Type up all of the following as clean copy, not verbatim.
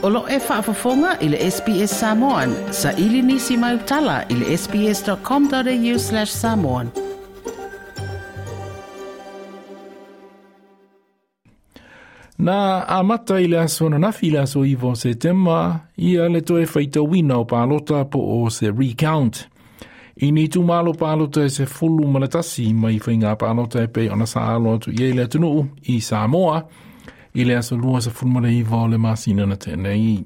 O lo e faafofoga i le SBS Samoan. Saili nisi mai utala i le sbs.com.au/samoan. Na amata i le aso ananafi i le aso 9 o Setema ia le toe faitauina o palota po o se recount. I ni itumalo palota e 11 mai faiga palota e pei ona sa alo atu i ai le atunuu i Samoa i le aso 29 o le masina na tea nei.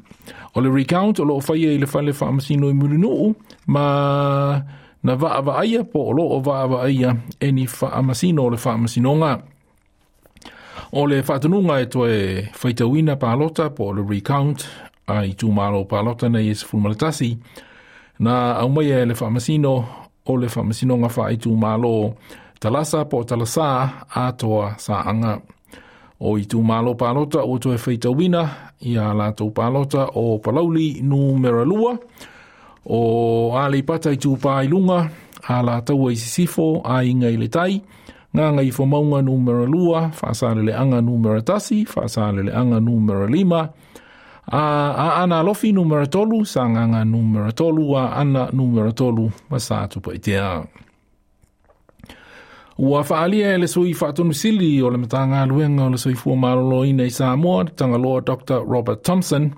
O le recount o lo o faia i le fale faamasino i Mulinuu ma na vaavaaia po o lo o vaavaaia e ni faamasino o le faamasinoga. O le faatonuga e toe faitauina palota po o le recount a itumalo palota nei e 11 na aumaia e le faamasino o le faamasinoga faaitumalo Talasa po o Talasa atoa Saaga. O itumalo palota ua toe faitauina ia latou palota o Palauli numera 2, o Aleipata Itupa i Luga, Alataua i Sisifo, Aiga i le Tai, Gagaifomauga numera 2, Faasaleleaga numera 1, Faasaleleaga numera 5, a Aana Alofi numera 3, Sagaga numera 3, Aana numera 3, ma Satupaitea. Ua faaalia e le sui faatonusili o le Matagaluega o le Soifua Maloloina i Samoa, Tagaloa Dr. Robert Thompson,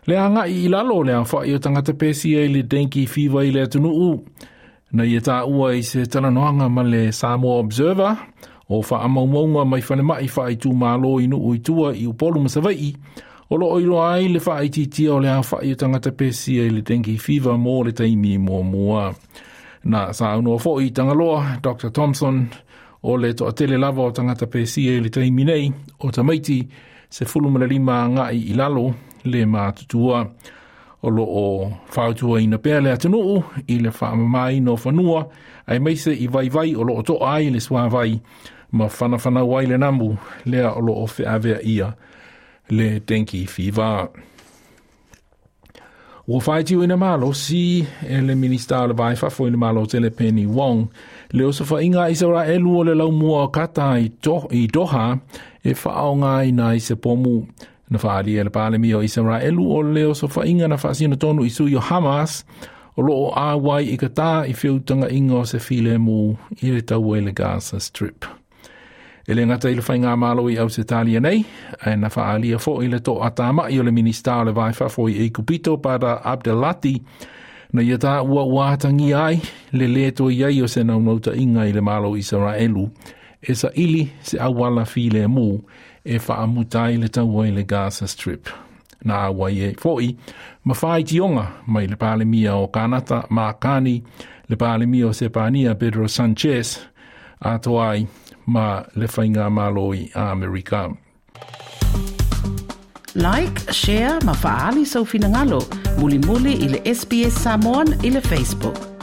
le agai i lalo o le aofai o tagata pesia i le dengue fever i le atunuu. Na ia taua i se talanoaga ma le Samoa Observer o faamaumauga mai falemai faaitumalo i nuu i tua i Upolu ma Savaii, o lo o iloa ai le faaitiitia o le aofai o tagata pesia i le dengue fever mo le taimi muamua. Na saunoa foi i Tagaloa, Dr. Thompson, o le toatele lava o tagata pesia i le taimi nei, o tamaiti 15 agai i lalo le matutua. O lo o fautuaina pea le atunuu i le faamamaina o fanua, aemaise i vaivai o lo o toa ai le suavai ma whanawhanau ai le namu lea o lo o feaveaia le dengue fever. Ua faitioina malosi e le Minista o le Va i Fafo i le Malo Tele Penny Wong le osofaiga a Isaraelu o le laumua o Kata i Doha e faaaogaina ai se pomu. Na faaalia e le Palemia o Isaraelu o le osofaiga na faasino tonu i sui o Hamas o lo o auai i Qatar i feutagaiga o se filemu i le taua i le Gaza Strip. E le gata i le faigamalo i Ausetalia nei, ae na faaalia foi le toatamai o le Minista o le Va i Fafo i Aikupito Badr Abdelatty na ia taua ua atagia ai le lē toe i ai o se naunautaiga i le Malo o Isaraelu e saili se auala filemu e faamuta ai le taua i le Gaza Strip. Na auai ai foi ma faitioga mai le Palemia o Kanata Mark Carney, le Palemia o Sepania Pedro Sanchez, atoa ai ma le faigamalo i Amerika. Like, share ma faaali sou finagalo mulimuli i le SBS Samoan i le Facebook.